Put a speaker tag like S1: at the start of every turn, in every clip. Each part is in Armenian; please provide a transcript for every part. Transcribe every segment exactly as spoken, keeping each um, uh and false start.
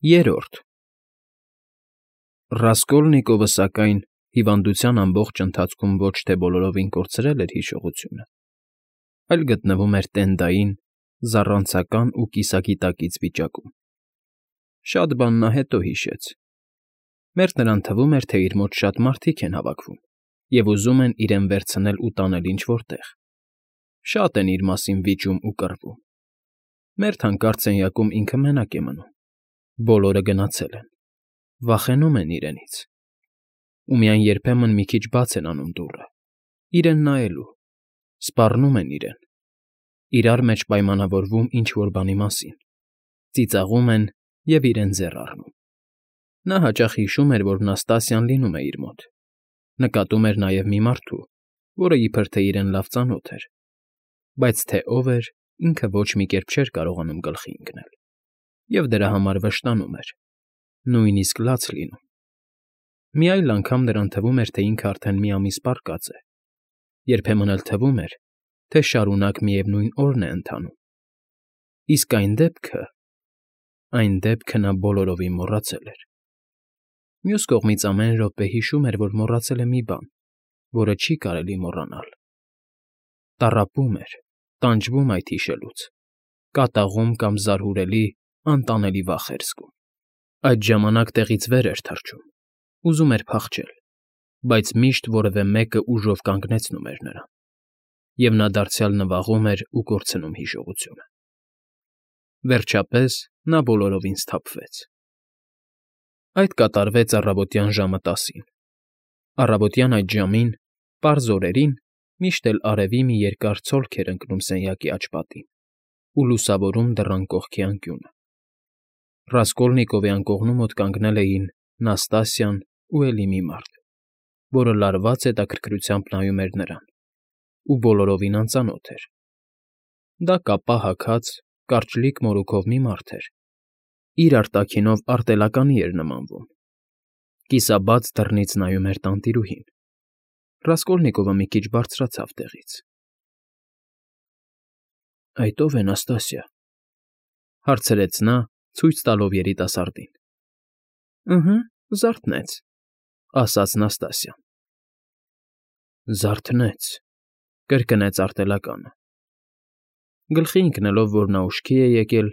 S1: Երրորդ Ռասկոլնիկովը, սակայն, հիվանդության ամբողջ ընթացքում ոչ թե բոլորովին կորցրել էր հիշողությունը, այլ գտնվում էր տենդային, զառանցական ու կիսագիտակից վիճակում. շատ բան նա հետո հիշեց. մերթ նրան թվում էր, թե իր մոտ շատ մարդիկ են հավաքվում և ուզում են իրեն վերցնել ու տանել ինչ֊որ տեղ, շատ են իր մասին վիճում ու կռվում, մերթ հանկարծ սենյակում ինքը մենակ է մնում, բոլորը գնացել են, վախենում են իրենից, ու միայն երբեմն մի քիչ բաց են անում դուռը, իրեն նայելու, սպառնում են իրեն, իրար մեջ պայմանավորվում ինչ֊որ բանի մասին, ծիծաղում են և իրեն ձեռ առնում. նա հաճախ հիշում էր, որ Նաստասիան լինում է իր մոտ, նկատում էր նաև մի մարդու, որը իբրև թե իրեն լավ ծանոթ էր, բայց թե ով էր, ինքը ոչ մի կերպ չէր կարողանում գլխի ընկնել, և դրա համար վշտանում էր, նույնիսկ լաց լինում. մի այլ անգամ նրան թվում էր, թե ինքը արդեն մի ամիս պառկած է, երբեմն էլ թվում էր, թե շարունակ միևնույն օրն է ընթանում, իսկ այն դեպքը… այն դեպքը նա բոլորովին մոռացել էր. մյուս կողմից ամեն րոպե հիշում էր, որ մոռացել է մի բան, որը չի կարելի մոռանալ, տառապում էր, տանջվում այդ հիշելուց, կատաղում կամ զարհուրելի, անտանելի վախ էր զգում, այդ ժամանակ տեղից վեր էր թռչում, ուզում էր փախչել, բայց միշտ որևէ մեկը ուժով կանգնեցնում էր նրան, և նա դարձյալ նվաղում էր ու կորցնում հիշողությունը… Վերջապես նա բոլորովին սթափվեց… Այդ կատարվեց առավոտյան ժամը տասին. առավոտյան այդ ժամին, պարզ օրերին, միշտ էլ արևի մի երկար ցոլք էր ընկնում սենյակի աջ պատին ու լուսավորում դռան կողքի անկյունը. Ռասկոլնիկովի անկողնու մոտ կանգնել էին Նաստասիան ու էլի մի մարդ, որը լարված հետաքրքրությամբ նայում էր նրան ու բոլորովին անծանոթ էր. դա կապա հագած, կարճլիկ մորուքով մի մարդ էր, իր արտաքինով արտելականի էր նմանվում, կիսաբաց դռնից նայում էր տանտիրուհին… Ռասկոլնիկովը մի քիչ բարձրացավ տեղից։ ֊ Այդ ո՞վ է, Նաստասիա,֊ հարցրեց նա, ցույց տալով երիտասարդին։ ֊ Ըհը, զարթնեց,֊ ասաց Նաստասիան։ ֊ Զարթնեց,֊ կրկնեց արտելականը։ Գլխի ընկնելով, որ նա ուշքի է եկել,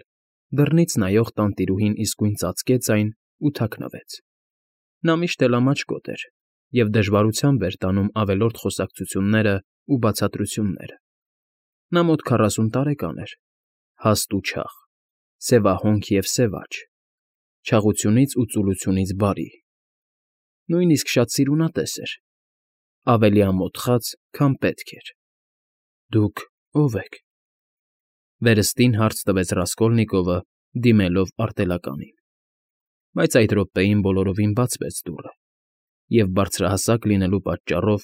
S1: դռնից նայող տանտիրուհին իսկույն ծածկեց այն ու թաքնվեց. նա միշտ էլ ամաչկոտ էր և դժվարությամբ էր տանում ավելորդ խոսակցություններն ու բացատրությունները. նա մոտ քառասուն տարեկան էր, հաստ ու չաղ, սևահոնք և սև աջ, չաղությունից ու ծուլությունից բարի, նույնիսկ շատ սիրունատես էր, ավելի ամոթխած, քան պետք էր։ ֊ Դուք ո՞վ եք,֊ վերստին հարց տվեց Ռասկոլնիկովը, դիմելով արտելականին, բայց այդ րոպեին բոլորովին բացվեց դուռը, և բարձրահասակ լինելու պատճառով,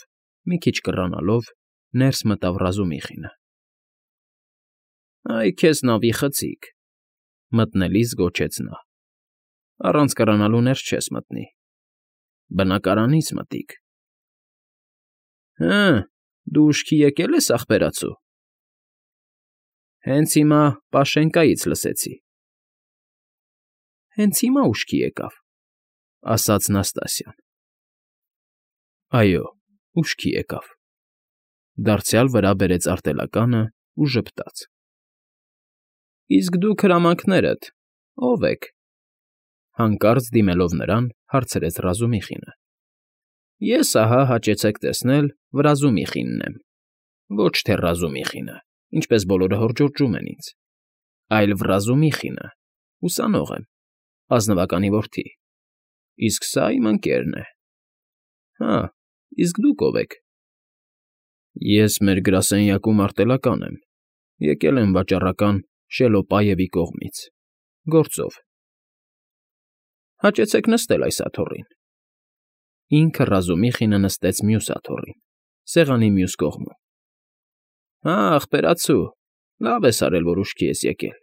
S1: մի քիչ կռանալով, ներս մտավ Ռազումիխինը։ ֊ Այ քեզ նավի խցիկ,֊ մտնելիս գոչեց նա,֊ առանց կռանալու ներս չես մտնի, բնակարանից մտիկ։ ֊ Հը, դու ուշքի եկե՞լ ես, ախպերացու… Հենց հիմա Պաշենկայից լսեցի։ ֊ Հենց հիմա ուշքի եկավ,֊ ասաց Նաստասիան։ ֊ Այո, ուշքի եկավ,֊ դարձյալ վրա բերեց արտելականը ու ժպտաց։ ֊ Իսկ դուք հրամանքներդ ո՞վ եք,֊ հանկարծ դիմելով նրան, հարցրեց Ռազումիխինը։ ֊ Ես, ահա, հաճեցեք տեսնել, Վրազումիխինն եմ, ոչ թե Ռազումիխինը, ինչպես բոլորը հորդորում են ինձ, այլ Վրազումիխինը, ուսանող եմ, ազնվականի որդի, իսկ սա իմ ընկերն է։ ֊ Հա, իսկ դուք ո՞վ եք։ ֊ Ես մեր գրասենյակում արտելական եմ, եկել եմ վաճառական Շելոպաևի կողմից, գործով։ ֊ Հաճեցեք նստել այս աթոռին։ Ինքը Ռազումիխինը նստեց մյուս աթոռին, սեղանի մյուս կողմում։ ֊ Հա, ախպերացու, լավ ես արել, որ ուշքի ես եկել,֊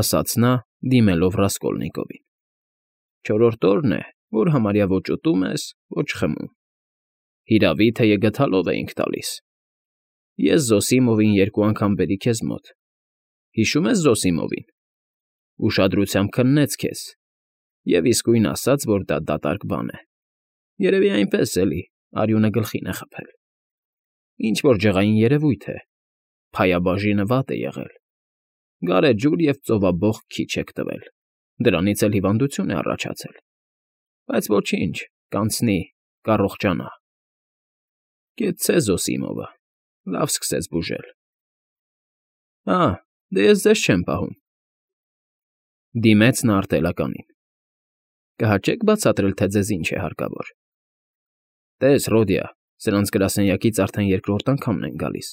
S1: ասաց նա, դիմելով Ռասկոլնիկովին։ ֊ Չորրորդ օրն է, որ համարյա ոչ ուտում ես, ոչ խմում, հիրավի, թեյը գդալով էինք տալիս։ Ես Զոսիմովին երկու անգամ բերի քեզ մոտ, հիշո՞ւմ ես Զոսիմովին։ Ուշադրությամբ քննեց քեզ և իսկույն ասաց, որ դա դատարկ բան է, երևի այնպես էլի, արյունը գլխին է խփել։ Ինչ֊որ ջղային երևույթ է, փայաբաժինը վատ է եղել, գարեջուր և ծովաբոխ քիչ եք տվել, դրանից էլ հիվանդություն է առաջացել, բայց ոչինչ, կանցնի, կառողջանա։ Կեցցե Զոսիմովը, լավ սկսեց բուժել։ Ա, դե ես ձեզ չեմ պահում։ Դիմեց նա արտելականին։ Կհաճե՞ք բացատրել, թե ձեզ ինչ է հարկավոր։ Տես, Ռոդիա, սրանց գրասենյակից արդեն երկրորդ անգամն են գալիս։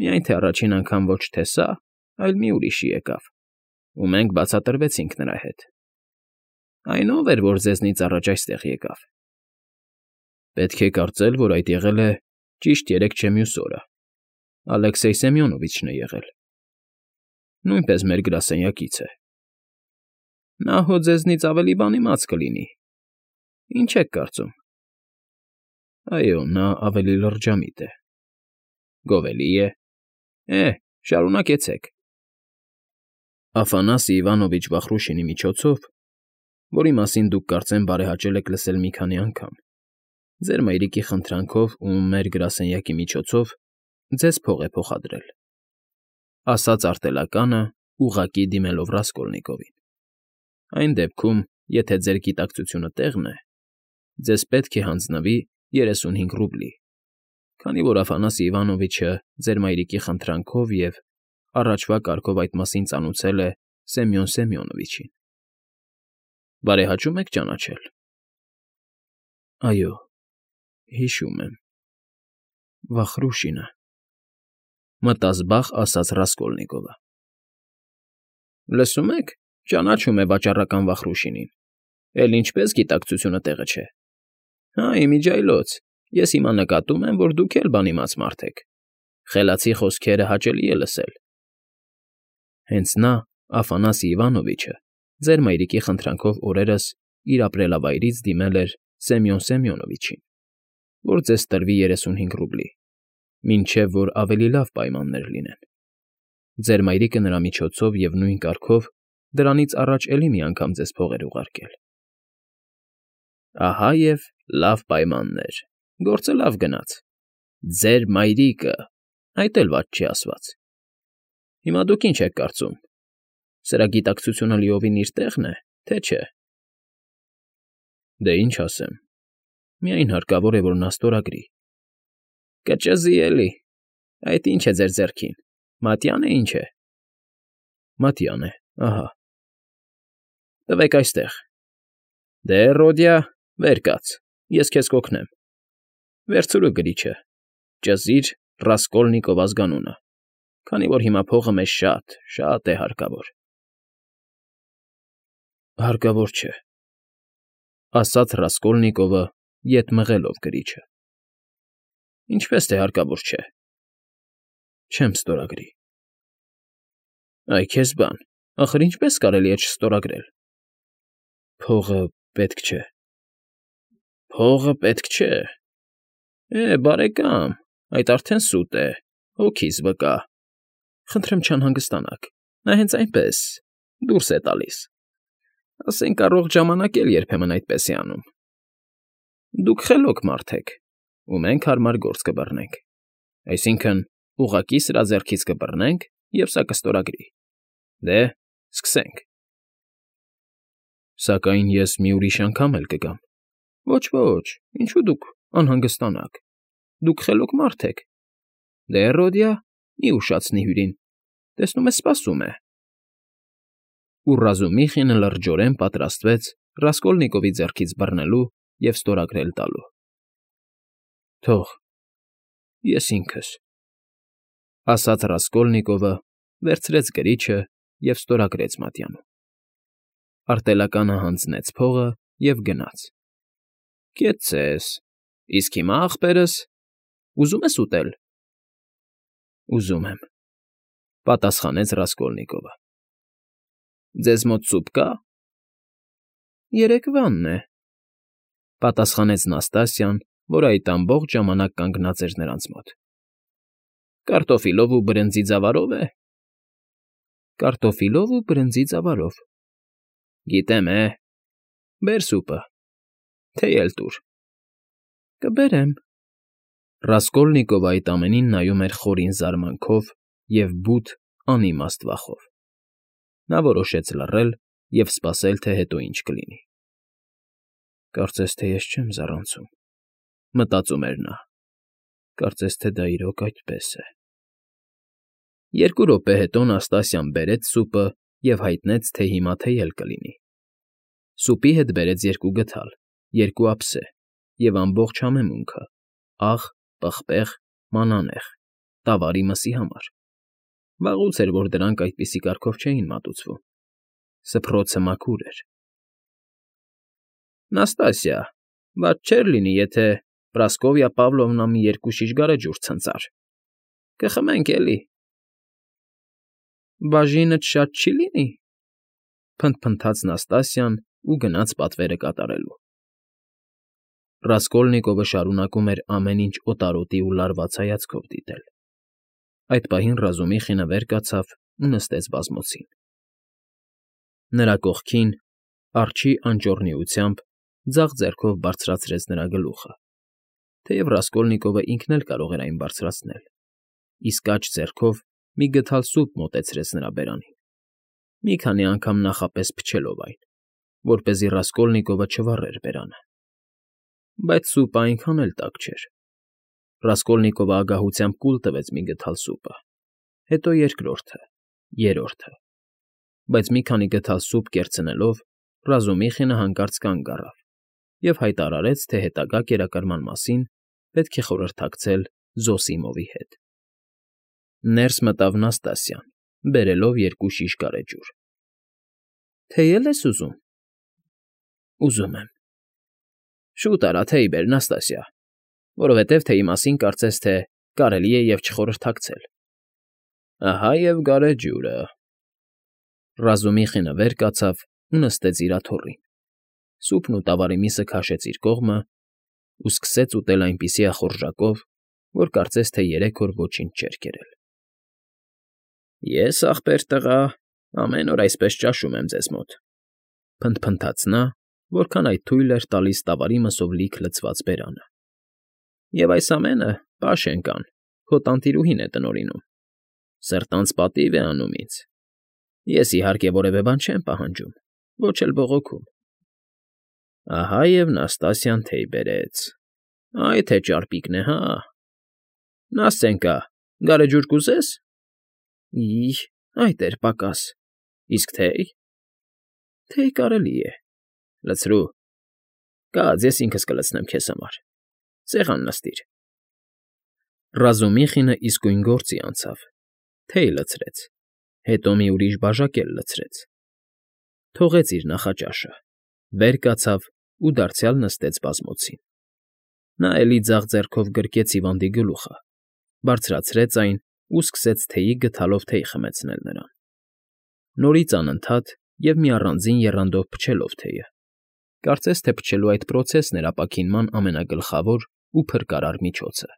S1: Միայն թե առաջին անգամ ոչ թե սա, այլ մի ուրիշի եկավ, ու մենք բացատրվեցինք նրա հետ։ Այն ո՞վ էր, որ ձեզնից առաջ այստեղ եկավ։ Պետք է կարծել, որ այդ եղել է ճիշտ երեկ չէ մյուս օրը, Ալեքսեյ Սեմյոնովիչն է եղել։ Նույնպես մեր գրասենյակից է։ Նա հո ձեզնից ավելի բան իմաց կլինի։ Ինչ եք կարծում։ Այո, նա ավելի լրջամիտ է։ Գովելի է։ Է, շարունակեցեք։ Աֆանասի Իվանովիչ Վախրուշինի միջոցով, որի մասին դուք կարծեմ բարեհաճել եք լսել մի քանի անգամ, ձեր մայրիկի խնդրանքով ու մեր գրասենյակի միջոցով ձեզ փող է փոխադրել, ասաց արտելականը, ուղղակի դիմելով Ռասկոլնիկովին։ Այն դեպքում, եթե ձեր գիտակցությունը տեղն է, ձեզ պետք է հանձնվի երեսունհինգ ռուբլի, քանի որ Աֆանասի Իվանովիչը ձեր մայրիկի խնդրանքով և առաջվա կարգով այդ մասին ծանուցել է Սեմյոն Սեմյոնովիչին։ Բարեհաճո՞ւմ եք ճանաչել։ Այո, հիշում եմ։ Վախրուշինը, մտազբաղ ասաց Ռասկոլնիկովը։ Լսում եք, ճանաչում է վաճառական Վախրուշինին, էլ ինչպես գիտակցությունը տեղը չէ։ Հա, իմիջիայլոց, ես հիմա նկատում եմ, որ դուք էլ բանիմաց մարդ եք, խելացի խոսքերը հաճելի է լսել։ Հենց նա, Աֆանասի Իվանովիչը, ձեր մայրիկի խնդրանքով օրերս իր ապրելավայրից դիմել էր Սեմյոն Սեմյոնովիչին, որ ձեզ տրվի երեսունհինգ ռուբլի, մինչև որ ավելի լավ պայմաններ լինեն։ Ձեր մայրիկը նրա միջոցով և նույն կարգով դրանից առաջ էլի մի անգամ ձեզ փող էր ուղարկել։ Ահա և լավ պայմաններ, գործը լավ գնաց։ Ձեր մայրիկը, այդ էլ վատ չի ասված։ Հիմա դուք ինչ եք կարծում, սրա գիտակցությունը լիովին իր տեղն է, թե չէ։ Դե ինչ ասեմ, միայն հարկավոր է, որ նա ստորագրի։ Կճզի էլի, այդ ինչ է ձեր ձեռքին, մատյան է ինչ է։ Մատյան է, ահա։ Տվեք այստեղ։ Դե, Ռոդիա, վեր կաց, ես քեզ կօգնեմ։ Վերցրու գրիչը, ճզիր Ռասկոլնիկով ազգանունը, քանի որ հիմա փողը մեզ շատ, շատ է հարկավոր։ Հարկավոր չէ, ասաց Ռասկոլնիկովը, ետ մղելով գրիչը։ Ինչպես թե հարկավոր չէ։ Չեմ ստորագրի։ Այ քեզ բան, ախր ինչպես կարելի է չստորագրել։ Փողը պետք չէ։ Փողը պետք չէ։ Է, բարեկամ, այդ արդեն սուտ է, հոգիս վկա։ Խնդրեմ չանհանգստանաք, նա հենց այնպես դուրս է տալիս։ Ասենք առողջ ժամանակ էլ երբեմն այդպես է անում։ Դուք խելոք մարդ եք, ու մենք հարմար գործ կբռնենք։ Այսինքն, ուղղակի սրա ձեռքից կբռնենք, և սա կստորագրի։ Դե, սկսենք։ Սակայն ես մի ուրիշ անգամ էլ կգամ։ Ոչ, ոչ, ինչու դուք անհանգստանաք։ Դուք խելոք մարդ եք։ Դե, Ռոդիա, մի ուշացնի հյուրին, տեսնում ես, սպասում է։ Ու Ռազումիխինը լրջորեն պատրաստվեց Ռասկոլնիկովի ձեռքից բռնելու և ստորագրել տալու։ Թող, ես ինքս, ասաց Ռասկոլնիկովը, վերցրեց գրիչը և ստորագրեց մատյանում։ Արտելականը հանձնեց փողը և գնաց։ Կեցցես, իսկ հիմա, ախպերս, ուզում ես ուտել։ Ուզում եմ, պատասխանեց Ռասկոլնիկովը։ Ձեզ մոտ սուպ կա։ Երեկվանն է, պատասխանեց Նաստասյան, որ այդ ամբողջ ժամանակ կանգնած էր նրանց մոտ։ Կարտոֆիլով ու բրնձի ձավարով է։ Կարտոֆիլով ու բրնձի ծավալով։ Գիտեմ, է, բեր սուպը, թեյ էլ տուր։ Կբերեմ։ Ռասկոլնիկովը այդ ամենին նայում էր խորին զարմանքով և բութ, անիմաստ վախով։ Նա որոշեց լռել և սպասել, թե հետո ինչ կլինի։ Կարծես թե ես չեմ զառանցում, մտածում էր նա։ Կարծես թե դա իրոք այդպես է։ Երկու րոպե հետո Նաստասիան բերեց սուպը և հայտնեց, թե հիմա թեյ էլ կլինի։ Սուպի հետ բերեց երկու գդալ, երկու ափսե և ամբողջ համեմունքը՝ աղ, պղպեղ, մանանեխ, տավարի մսի համար։ Վաղուց էր, որ դրանք այդպիսի կարգով չէին մատուցվում։ Սփռոցը մաքուր էր։ Նաստասիա, վատ չէր լինի, եթե Պրասկովյա Պավլովնա մի երկու շիշ գարեջուր ցնծար։ Կխմենք, էլի։ Բաժինդ շատ չի՞ լինի,֊ փնթփնթաց Նաստասիան ու գնաց պատվերը կատարելու։ Ռասկոլնիկովը շարունակում էր ամեն ինչ օտարոտի ու լարված հայացքով դիտել։ Այդ պահին Ռազումիխինը վեր կացավ ու նստեց բազմոցին։ Նրա կողքին, արջի անճոռնիությամբ, ձախ ձեռքով բարձրացրեց նրա գլուխը, թեև Ռասկոլնիկովը ինքն էլ կարող էր այն բարձրացնել, իսկ աջ ձեռքով մի գդալ սուպ մոտեցրեց նրա բերանին, մի քանի անգամ նախապես փչելով այն, որպեսզի Ռասկոլնիկովը չվառեր բերանը։ Բայց սուպը այնքան էլ տաք չէր։ Ռասկոլնիկովը ագահությամբ կուլ տվեց մի գդալ սուպը, հետո երկրորդը, երրորդը, բայց մի քանի գդալ սուպ կերցնելով Ռազումիխինը հանկարծ կանգ առավ և հայտարարեց, թե հետագա կերակրման մասին պետք է խորհրդակցել Զոսիմովի հետ։ Ներս մտավ Նաստասիան, բերելով երկու շիշ գարեջուր։ ֊ Թեյ է՞լ ես ուզում։ ֊ Ուզում եմ։ ֊ Շուտ արա, թեյ բեր, Նաստասիա, որովհետև թեյի մասին կարծես թե կարելի է և չխորհրդակցել։ ֊ Ահա և գարեջուրը։ Ռազումիխինը վեր կացավ ու նստեց իր աթոռին, սուպն ու տավարի միսը քաշեց իր կողմը ու սկսեց ուտել այնպիսի ախորժակով, որ կարծես թե երեք օր ոչինչ չէր կերել։ ֊ Ես, ախպեր տղա, ամեն օր այսպես ճաշում եմ ձեզ մոտ,֊ փնթփնթաց նա, որքան այդ թույլ էր տալիս տավարի մսով լիք լցված բերանը,֊ և այս ամենը, Պաշենկան, քո տանտիրուհին է տնօրինում, սրտանց պատիվ է անում ինձ։ Ես, իհարկե, որևէ բան չեմ պահանջում, ոչ էլ բողոքում։ Ահա և Նաստասիան թեյ բերեց։ Այ թե ճարպիկն է, հա։ Նաստենկա, գարեջուր կուզե՞ս։ Ի՜, այդ էր պակաս։ Իսկ թեյ։ Թեյ կարելի է։ Լցրու։ Կաց, ես ինքս կլցնեմ քեզ համար։ Սեղան նստիր։ Ռազումիխինը իսկույն գործի անցավ, թեյ լցրեց, հետո մի ուրիշ բաժակ էլ լցրեց։ Թողեց իր նախաճաշը, վեր կացավ ու դարձյալ նստեց բազմոցին։ Նա էլի ձախ ձեռքով գրկեց հիվանդի գլուխը, բարձրացրեց այն ու սկսեց թեյի գդալով թեյ խմեցնել նրան, նորից անընդհատ և մի առանձին եռանդով փչելով թեյը, կարծես թե փչելու այդ պրոցեսն էր ապաքինման ամենագլխավոր ու փրկարար միջոցը։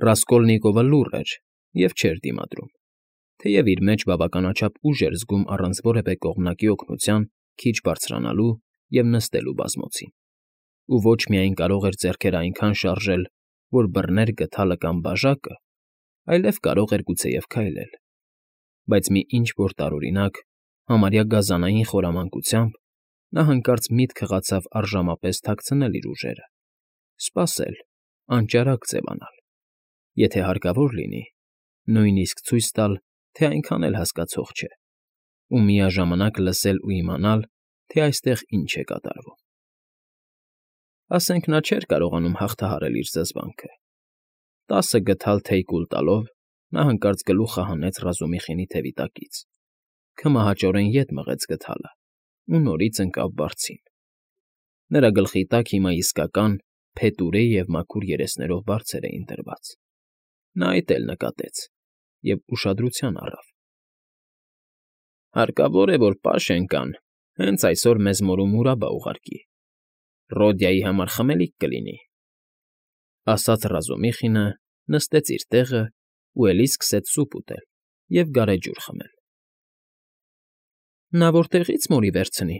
S1: Ռասկոլնիկովը լուռ էր և չէր դիմադրում, թեև իր մեջ բավականաչափ ուժ էր զգում առանց որևէ կողմնակի օգնության քիչ բարձրանալու և նստելու բազմոցին, ու ոչ միայն կարող էր ձեռքերը այնքան շարժել, որ բռներ գդալը կամ բաժակը, այլև կարող էր գուցեև քայլել, բայց մի ինչ֊որ տարօրինակ, համարյա գազանային խորամանկությամբ նա հանկարծ միտք հղացավ առժամապես թաքցնել իր ուժերը, սպասել, անճարակ ձևանալ, եթե հարկավոր լինի, նույնիսկ ցույց տալ, թե այնքան էլ հասկացող չէ, ու միաժամանակ լսել ու իմանալ, թե այստեղ ինչ է կատարվում։ Ասենք նա չէր կարողանում հաղթահարել իր զզվանքը։ Տասը գդալ թեյ կուլ տալով՝ նա հանկարծ գլուխը հանեց Ռազումիխինի թևի տակից, քմահաճորեն ետ մղեց գդալը ու նորից ընկավ բարձին։ Նրա գլխի տակ հիմա իսկական փետուրե և մաքուր երեսներով բարձեր էին դրված։ Նա այդ էլ նկատեց և ուշադրության առավ։ Հարկավոր է, որ Պաշենկան հենց այսօր մեզ մորու մուրաբա ուղարկի, Ռոդյայի համար խմելիք կլինի,֊ ասաց Ռազումիխինը, նստեց իր տեղը ու էլի սկսեց սուպ ուտել, և գարեջուր խմել։ ֊ Նա որտեղի՞ց մորի վերցնի,֊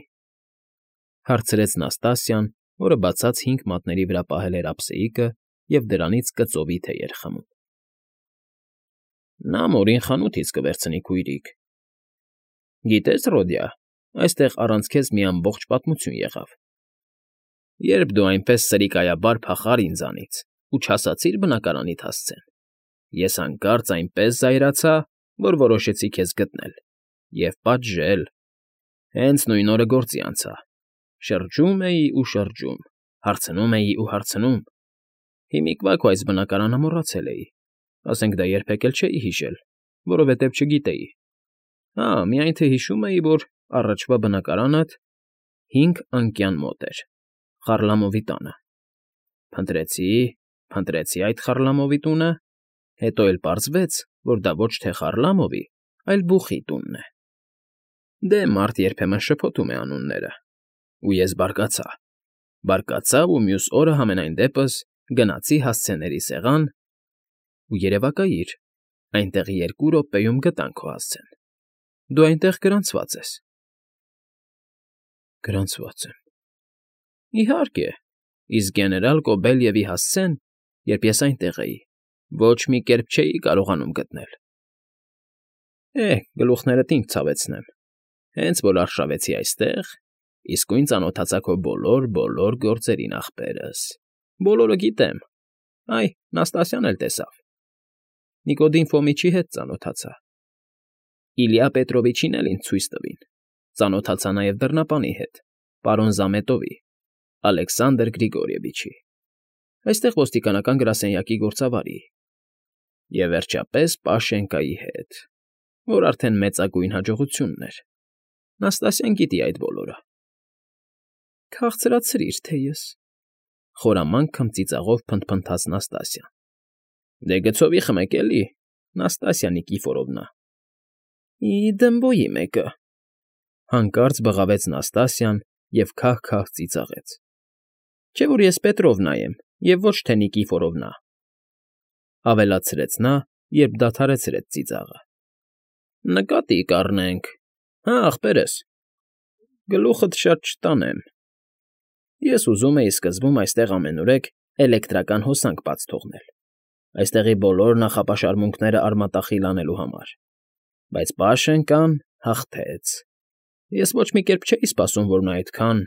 S1: հարցրեց Նաստասիան, որը բացած հինգ մատների վրա պահել էր ափսեիկը և դրանից կծովի թեյ էր խմում։ ֊ Նա մորին խանութից կվերցնի, քույրիկ։ Գիտե՞ս, Ռոդիա, այստեղ առանց քեզ մի ամբողջ պատմություն եղավ, երբ դու այնպես սրիկայաբար փախար ինձանից ու չասացիր բնակարանիդ հասցեն, ես հանկարծ այնպես զայրացա, որ որոշեցի քեզ գտնել և պատժել, հենց նույն օրը գործի անցա, շրջում էի ու շրջում, հարցնում էի ու հարցնում, հիմիկվա քո այս բնակարանը մոռացել էի, ասենք դա երբեք էլ չէի հիշել, որովհետև չգիտեի, հա, միայն թե հիշում էի, որ առաջվա բնակարանդ հինգ անկյան մոտ էր, Խարլամովի տանը, փնտրեցի, փնտրեցի այդ Խարլամովի տունը, հետո էլ պարզվեց, որ դա ոչ թե Խարլամովի, այլ բուխի տունն է։ Դե մարդ երբեմն շփոթում է անունները, ու ես բարկացա, բարկացա ու մյուս օրը համենայն դեպս գնացի հասցեների սեղան ու երևակայիր, այնտեղ երկու րոպեում գտան քո հասցեն, դու այնտեղ գրանցված ես։ ֊ Գրանցված եմ… Իհարկե, իսկ գեներալ Կոբելյևի հասցեն, երբ ես այնտեղ էի, ոչ մի կերպ չէի կարողանում գտնել։ Է՜, գլուխներդ ինձ ցավեցնեմ, հենց որ արշավեցի այստեղ, իսկույն ծանոթացա քո բոլոր֊բոլոր գործերին, ախպերս, բոլորը գիտեմ, այ, Նաստասյան էլ տեսավ, Նիկոդիմ Ֆոմիչի հետ ծանոթացա, Իլյա Պետրովիչին էլ ինձ ցույց տվին, ծանոթացա նաև դռնապանի հետ, պարոն Զամետովի, Ալեքսանդր Գրիգորիևիչի, այստեղ ոստիկանական գրասենյակի գործավարի և, վերջապես, Պաշենկայի հետ, որ արդեն մեծագույն հաջողությունն էր, Նաստասյան գիտի այդ բոլորը։ ֊ Քաղցրացրիր, թեյս,֊ խորամանկ քմծիծաղով փնթփնթաց Նաստասիան։ ֊ Դե գցովի խմեք, էլի, Նաստասյա Նիկիֆորովնա։ ֊ Ի դմբոյի մեկը,֊ հանկարծ բղավեց Նաստասիան և քահ֊քահ ծիծաղեց։ ֊ Չէ՞ որ ես Պետրովնա եմ և ոչ թե Նիկիֆորովնա,֊ ավելացրեց նա, երբ դադարեցրեց ծիծաղը։ ֊ Նկատի կառնենք, հա, ախպերս, գլուխդ շատ չտանեմ, ես ուզում էի սկզբում այստեղ ամենուրեք էլեկտրական հոսանք բաց թողնել, այստեղի բոլոր նախապաշարմունքները արմատախիլ անելու համար, բայց Պաշենկան հաղթեց, ես ոչ մի կերպ չէի սպասում, որ նա այդքան…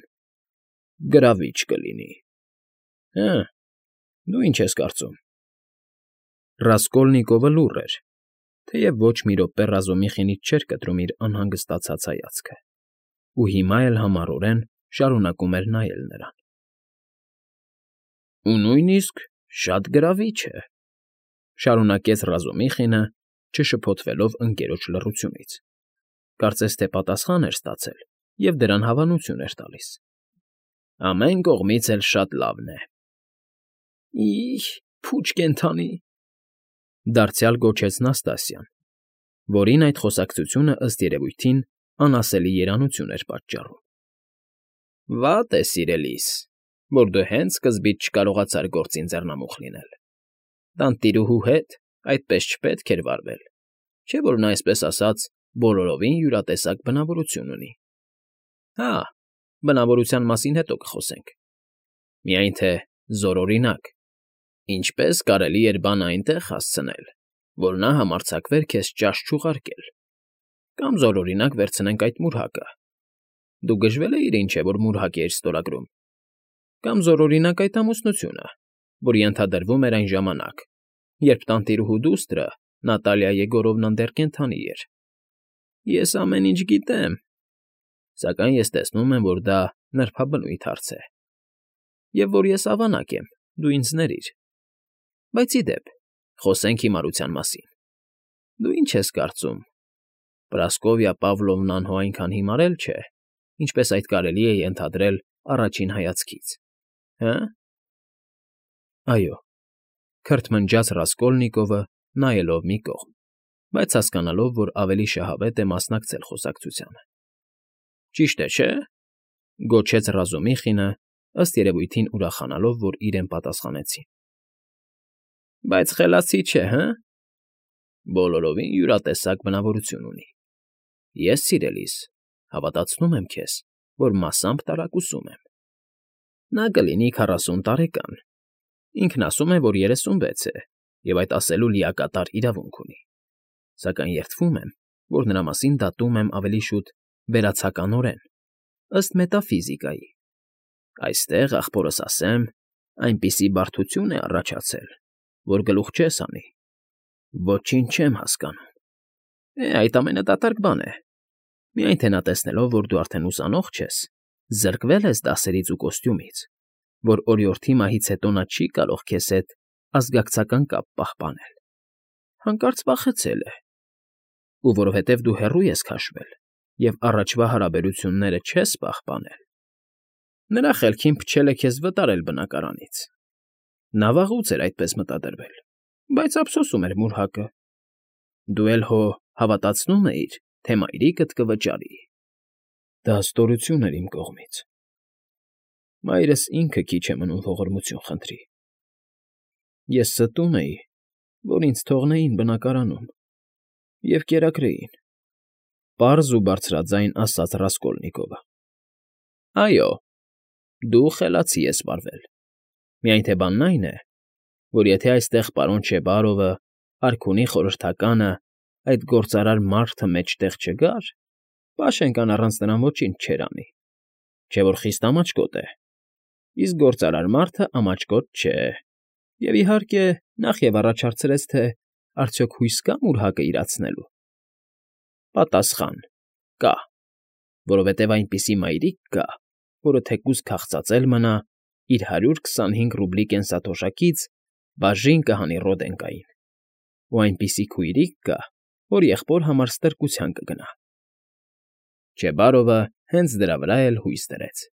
S1: գրավիչ կլինի։ Հը, դու ի՞նչ ես կարծում։ Ռասկոլնիկովը լուռ էր, թեև ոչ մի րոպե Ռազումիխինից չէր կտրում իր անհանգստացած հայացքը, ու հիմա էլ համառորեն շարունակում էր նայել նրան։ ֊ Ու նույնիսկ շատ գրավիչ է,֊ շարունակեց Ռազումիխինը, չշփոթվելով ընկերոջ լռությունից, կարծես թե պատասխան էր ստացել և դրան հավանություն էր տալիս։ ֊ Ամեն կողմից էլ շատ լավն է։ ֊ Ի՜, փուչ կենդանի,֊ դարձյալ գոչեց Նաստասյան, որին այդ խոսակցությունը, ըստ երևույթին, անասելի երանություն էր պատճառում։ ֊ Վատ է, սիրելիս, որ դու հենց սկզբից չկարողացար գործին ձեռնամուխ լինել, տանտիրուհու հետ այդպես չպետք էր վարվել, չէ՞ որ նա, այսպես ասած, բոլորովին յուրատեսակ բնավորություն ունի։ Հա, բնավորության մասին հետո կխոսենք, միայն թե զորօրինակ, ինչպե՞ս կարելի էր բանը այնտեղ հասցնել, որ նա համարձակվեր քեզ ճաշ չուղարկել, կամ զորօրինակ վերցնենք այդ մուրհակը, դու գժվել էիր, ինչ է, որ մուրհակ էիր ստորագրում, կամ զորօրինակ այդ ամուսնությունը, որ ենթադրվում էր այն ժամանակ, երբ տանտիրուհու դուստրը, Նատալիա Եգորովնան դեռ կենդանի էր։ Ես ամեն ինչ գիտեմ, սակայն ես տեսնում եմ, որ դա նրբաբնույթ հարց է, և որ ես ավանակ եմ, դու ինձ ներիր։ Բայց ի դեպ, խոսենք հիմարության մասին։ Դու ի՞նչ ես կարծում, Պրասկովիա Պավլովնան հո այնքան հիմար էլ չէ, ինչպես այդ կարելի է ենթադրել առաջին հայացքից, հը՞։ ֊ Այո,֊ քրթմնջաց Ռասկոլնիկովը, նայելով մի կողմ, բայց հասկանալով, որ ավելի շահավետ է մասնակցել խոսակցությանը։ ֊ Ճիշտ է, չէ՞, գոչեց Ռազումիխինը, ըստ երևույթին ուրախանալով, որ իրեն պատասխանեցին։ ֊ Բայց խելացի չէ, հը՞։ Բոլորովին յուրատեսակ բնավորություն ունի։ Ես, սիրելիս, հավատացնում եմ քեզ, որ մասամբ տարակուսում եմ։ Նա կլինի քառասուն տարեկան, ինքն ասում է, որ երեսունվեց է և այդ ասելու լիակատար իրավունք ունի, սակայն երդվում եմ, որ նրա մասին դատում եմ ավելի շուտ վերացականորեն, ըստ մետաֆիզիկայի։ Այստեղ, ախպորս ասեմ, այնպիսի բարդություն է առաջացել, որ գլուխ չես հանի։ Ոչինչ չեմ հասկանում։ Է, այդ ամենադատարկ բան է։ Միայն թե նա տեսնելով, որ դու արդեն ուսանող չես, զրկվել ես դասերից ու կոստյումից, որ օրիորդի մահից հետո նա չի կարող քեզ հետ ազգակցական կապ պահպանել, հանկարծ վախեցել է, ու որովհետև դու հեռու ես քաշվել և առաջվա հարաբերությունները չես պահպանել, նրա խելքին փչել է քեզ վտարել բնակարանից։ Նա վաղուց էր այդպես մտադրվել, բայց ափսոսում էր մուրհակը։ Դու էլ հո հավատացնում էիր, թե մայրիկդ կվճարի։ Դա ստորություն էր իմ կողմից։ Մայրս ինքը քիչ է մնում ողորմություն խնդրի։ Ես ստում էի, որ ինձ թողնեին բնակարանում և կերակրեին,֊ պարզ ու բարձրաձայն ասաց Ռասկոլնիկովը։ Այո, դու խելացի ես վարվել, միայն թե բանն այն է, որ եթե այստեղ պարոն Չեբարովը, արքունի խորհրդականը, այդ գործարար մարդը մեջտեղ չգար, Պաշենկան առանց նրան ոչինչ չէր անի, չէ որ խիստ ամաչկոտ է, իսկ գործարար մարդը ամաչկոտ չէ, և, իհարկե, նախևառաջ հարցրեց, թե արդյոք հույս կա՞ մուրհակը իրացնելու։ Պատասխան. կա, որովհետև այնպիսի մայրիկ կա, որը թեկուզ քաղցածել մնա, իր հարյուր քսանհինգ ռուբլի կենսաթոշակից բաժին կհանի Ռոդենկային, ու այնպիսի քույրիկ կա, որ եղբոր համար ստրկության կգնա։ Չեբարովը հենց դրա վրա էլ հույս դրեց։